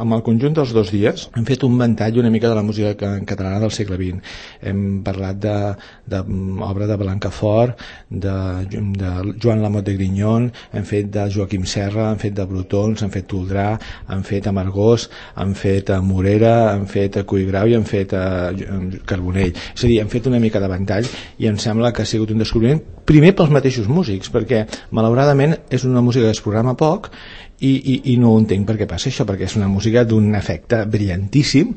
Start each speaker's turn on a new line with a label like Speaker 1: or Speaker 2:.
Speaker 1: amb el conjunt dels 2 dies hem fet un ventall una mica de la música catalana del segle XX. Hem parlat d'obra de Blancafort, de Joan Lamote de Grignon, hem fet de Joaquim Serra, hem fet de Brotons, hem fet Toldrà, hem fet Amargós, hem fet Morera, hem fet Collgrau i hem fet Carbonell. És a dir, hem fet una mica de ventall i em sembla que ha sigut un descobriment primer pels mateixos músics, perquè malauradament és una música que es programa poc i no ho entenc per què passa això, perquè és una música d'un efecte brillantíssim